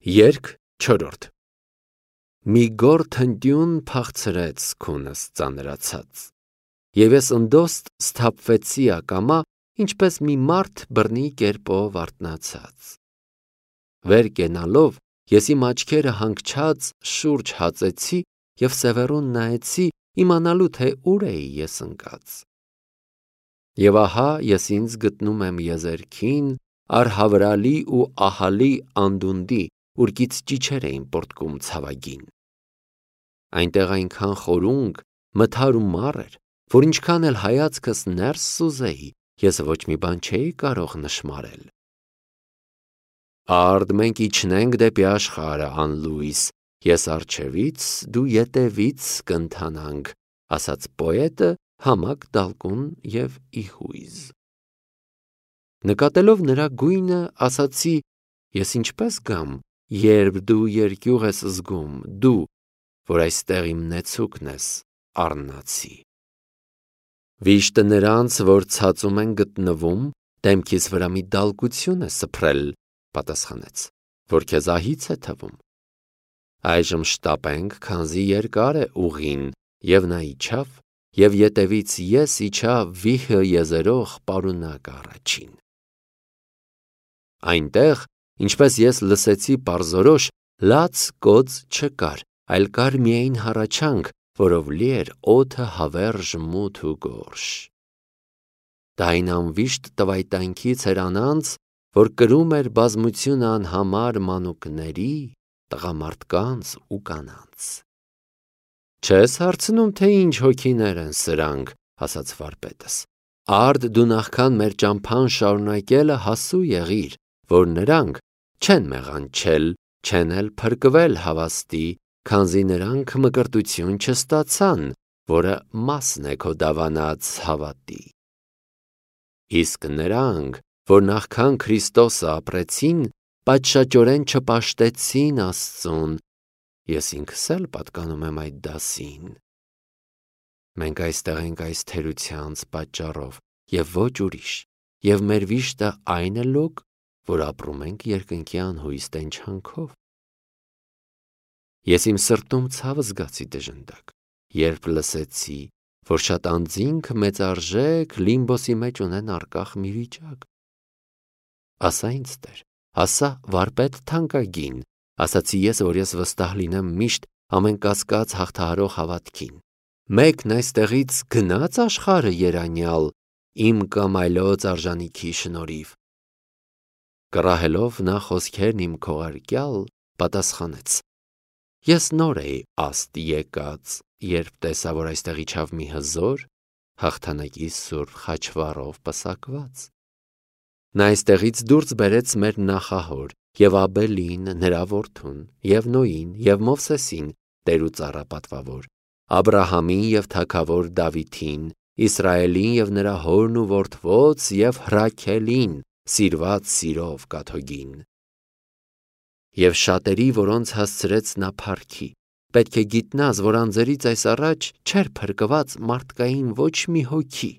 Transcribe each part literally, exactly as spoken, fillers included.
Երգ չորրորդ Մի գորթ հնտյուն փախցրեց քունս ծանրացած, և ես ընդոստ սթափվեցի ակամա, ինչպես մի մարդ բռնի կերպով արթնացած։ Վեր կենալով ես իմ աչքերը հանգչած շուրջ հածեցի և սևեռուն նայեցի, իմանալու թե ուր էի ես ընկած։ Եվ ահա ես ինձ գտնում եմ եզերքին, արհավրալի ու ահալի անդունդի, ուր կից ճիչեր էին պոռթկում ցավագին։ Այնտեղ այնքան խորունկ, մթար ու մառ էր, որ ինչքան էլ հայացքս ներս սուզեի, ես ոչ մի բան չէի կարող նշմարել։ Արդ մենք իջնենք դեպի աշխարհը անլույս, ես առջևից, դու ետևից կընթանանք, ասաց պոետը համակ դալկուն և իհույզ։ Նկատելով նրա գույնը, ասացի, ես ինչպես գամ, երբ դու երկյուղ ես զգում, դու, որ այստեղ իմ նեցուկն ես, առնացի։ Վիշտը նրանց, որ ցածում են գտնվում, դեմքիս վրա մի դալկություն է սփռել, պատասխանեց, որ քեզ ահից է թվում։ Այժմ շտապենք, քանզի երկար է ուղին, և նա իջավ, և ետևից ես իջա վիհը եզերող պարունակ առաջին։ Այնտեղ, ինչպես ես լսեցի պարզորոշ, լաց կոծ չկար, այլ կար միայն հառաչանք, որով լի էր օդը հավերժ մութ ու գորշ։ Դա այն անվիշտ տվայտանքից էր անանց, որ կրում էր բազմությունը անհամար մանուկների, տղամարդկանց ու կանանց։ Չես հարցնում, թե ինչ հոգիներ են սրանք, ասաց վարպետս, արդ դու նախքան մեր ճամփան շարունակելը հասու եղիր, որ նրանք չեն մեղանչել, չեն էլ փրկվել հավաստի, քանզի նրանք մկրտություն չստացան, որը մասն է քո դավանած հավատի։ Իսկ նրանք, որ նախքան Քրիստոսը ապրեցին, պատշաճորեն չպաշտեցին Աստծուն, ես ինքս էլ պատկանում եմ այդ դասին։ Մենք այստեղ ենք այս թերությանց պատճառով, և ոչ ուրիշ, և մեր վիշտը այն է լոկ, որ ապրում ենք երկնքի անհույս տենչանքով։ Ես իմ սրտում ցավ զգացի դժնդակ, երբ լսեցի, որ շատ անձինք մեծարժեք Լիմբոսի մեջ ունեն առկախ մի վիճակ։ Ասա ինձ Տեր, ասա վարպետ թանկագին, ասացի ես, որ ես վստահ լինեմ միշտ ամենակասկած հաղթահարող հավատքին։ Մեկն այստեղից գնաց աշխարհը երանյալ, իմ կամ այլոց արժանիքի շնորհիվ։ Կռահելով նա խոսքերն իմ քողարկյալ, պատասխանեց. Ես նոր էի աստ եկած, երբ տեսա, որ այստեղ իջավ մի հզոր, հաղթանակի սուրբ խաչվառով պսակված։ Նա այստեղից դուրս բերեց մեր նախահոր և Աբելին, նրա որդուն, և Նոյին, և Մովսեսին, Տեր ու ծառա պատվավոր, Աբրահամին և թագավոր Դավիթին, Իսրայելին և նրա հորն ու որդոց և Ռաքելին, սիրված սիրով կաթողին։ Եվ շատերի, որոնց հասցրեց նա փառքի, պետք է գիտնաս, որ անձերից այս առաջ չէր փրկված մարդկային ոչ մի հոգի։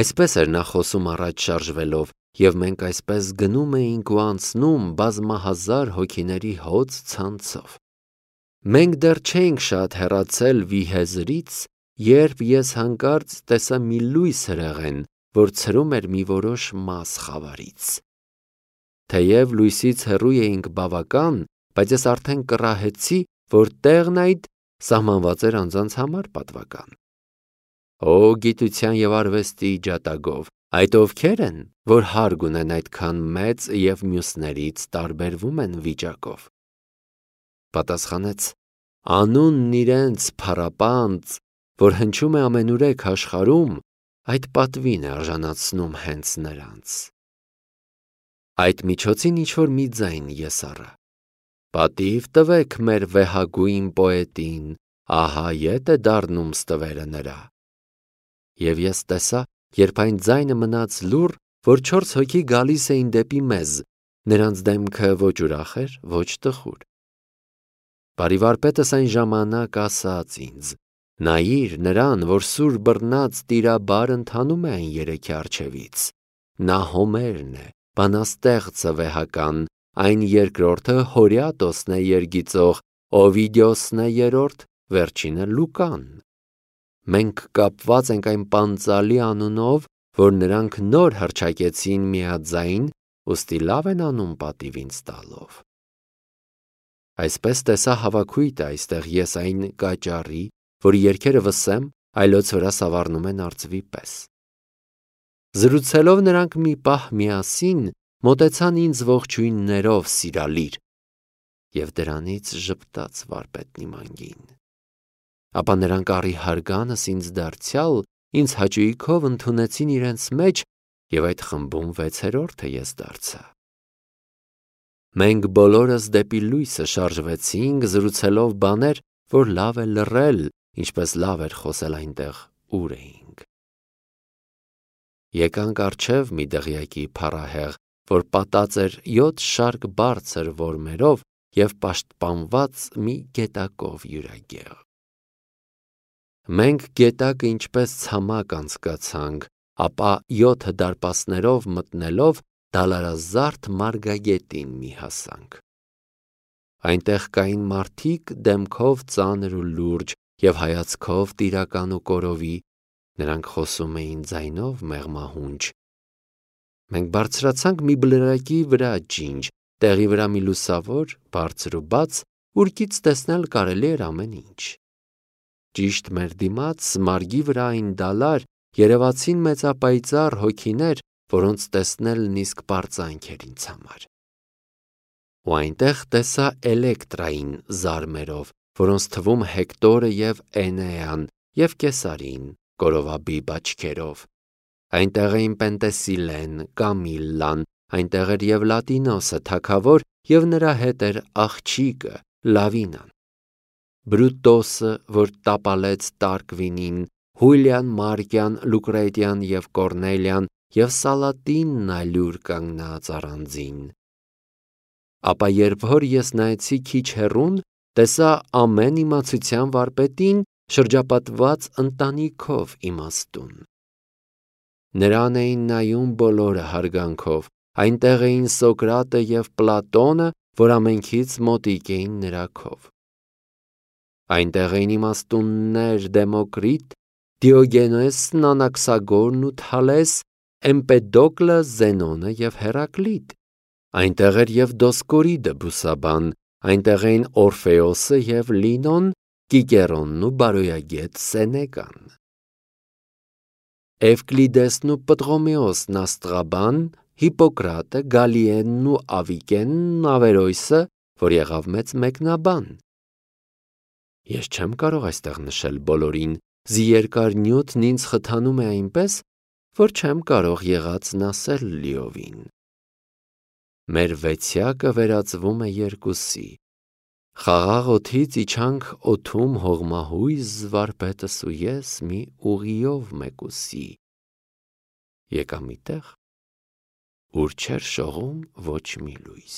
Այսպես էր նա խոսում առաջ շարժվելով, և մենք այսպես գնում էինք ու անցնում բազմահազար հոգիների հոծ ցանցով։ Մենք դեռ չէինք շատ հեռացել Վիհեզրից, երբ ես հանկարծ տեսա մի լույս հրեղեն, որ ցրում էր մի որոշ մաս խավարից։ Թեև լույսից հեռու էինք բավական, բայց ես արդեն կռահեցի, որ տեղն այդ սահմանված էր անձանց համար պատվական։ Օ գիտության և արվեստի ջատագով, այդ ովքեր են, որ հարգ ունեն այդքան մեծ և մյուսներից տարբերվում են վիճակով։ Պատասխանեց. անունն իրենց փառապանծ, որ հնչում է ամենուրեք աշխարհում, այդ պատվին է արժանացնում հենց նրանց։ Այդ միջոցին ինչ-որ մի ձայն ես առա. պատիվ տվեք մեր վեհագույն պոետին, ահա ետ է դառնում ստվերը նրա։ Եվ ես տեսա, երբ այն ձայնը մնաց լուռ, որ չորս հոգի գալիս էին դեպի մեզ, նրանց դեմքը ոչ ուրախ էր, ոչ տխուր։ Բարի վարպետս այն ժամանակ ասաց ինձ. նայիր նրան, որ սուր բռնած տիրաբար ընթանում է այն երեքի առջևից։ Նա Հոմերն է, բանաստեղծը վեհական, այն երկրորդը Հորիատոսն է երգիծող, Օվիդիոսն է երրորդ, վերջինը Լուկան։ Մենք կապված ենք այն պանծալի անունով, որ նրանք նոր հռչակեցին միաձայն, ուստի լավ են անում պատիվ ինձ տալով։ Այսպես տեսա հավաքույտը այստեղ ես այն կաճառի, որի երգերը վսեմ, այլոց վրա սավառնում են արծվի պես։ Զրուցելով նրանք մի պահ միասին մոտեցան ինձ ողջույններով սիրալիր, և դրանից ժպտաց վարպետն իմ անգին։ Ապա նրանք առի հարգանս ինձ դարձյալ ինձ հաճույքով ընդունեցին իրենց մեջ, և այդ խմբում վեցերորդը ես դարձա։ Մենք բոլորս դեպի լույսը շարժվեցինք, զրուցելով բաներ, որ լավ է լռել, ինչպես լավ էր խոսել այնտեղ, ուր էինք։ Եկանք առջև մի դղյակի փառահեղ, որ պատած էր յոթ շարք բարձր որմերով և պաշտպանված մի գետակով յուրագեղ։ Մենք գետակը ինչպես ցամաք անցկացանք, ապա յոթը դարպասներով մտնելով դալարազարդ մարգագետին մի հասանք։ Այնտեղ կային մարդիկ դեմքով ծանր ու լուրջ և հայացքով տիրական ու կորովի, նրանք խոսում էին ձայնով մեղմահունչ։ Մենք բարձրացանք մի բլրակի վրա ջինջ, տեղի վրա մի լուսավոր, բարձր ու բաց, ուրկից տեսնել կարելի էր ամեն ինչ։ Ճիշտ մեր դիմաց մարգի վրա այն դալար երևացին մեծապայծառ հոգիներ, որոնց տեսնելն իսկ պարծանք էր ինձ համար։ Ու այնտեղ տեսա Էլեկտրային զարմերով, որոնց թվում Հեկտորը և Էնեան և Կեսարին կորովաբիբ աչքերով։ Այնտեղ էին Պենտեսիլեն, Կամիլլան, այնտեղ էր և Լատինոսը թագավոր և նրա հետ էր աղջիկը Լավինան, Բրուտոսը, որ տապալեց Տարկվինին, Հուլիան, Մարկյան, Լուկրետիան և Կորնելիան և Սալատինն ալյուր կանգնած առանձին։ Ապա երբ որ ես նայեցի քիչ հեռուն, տեսա ամեն իմացության վարպետին շրջապատված ընտանիքով իմաստուն։ Նրան էին նայում բոլորը հարգանքով, այնտեղ էին Սոկրատը և Պլատոնը, որ ամենքից մոտիկ էին նրա քով։ Այնտեղ էին իմաստուններ Դեմոկրիտ, Դիոգենեսն, Անաքսագորն ու Թալես, Էմպեդոկլը, Զենոնը և Հերակլիտ, այնտեղ էր և Դոսկորիդը բուսաբան, այնտեղ էին Օրֆեոսը և Լինոն, Կիկերոնն ու բարոյագետ Սենեկան, Էվկլիդեսն ու Պտղոմեոսն աստղաբան, Հիպոկրատը, Գալիենն ու Ավիկենն, Ավերոյսը, որ եղավ մեծ մեկնաբան։ Ես չեմ կարող այստեղ նշել բոլորին, զիերկար նյութն ինձ խթանում է այնպես, որ չեմ կարող եղածն ասել լիովին։ Մեր վեցյակը վերածվում է երկուսի։ Խաղաղ օդից իջանք օդում հողմահույզ վարպետս ու ես մի ուղիով մեկուսի։ Եկա մի տեղ, ուր չէր շողում ոչ մի լույս։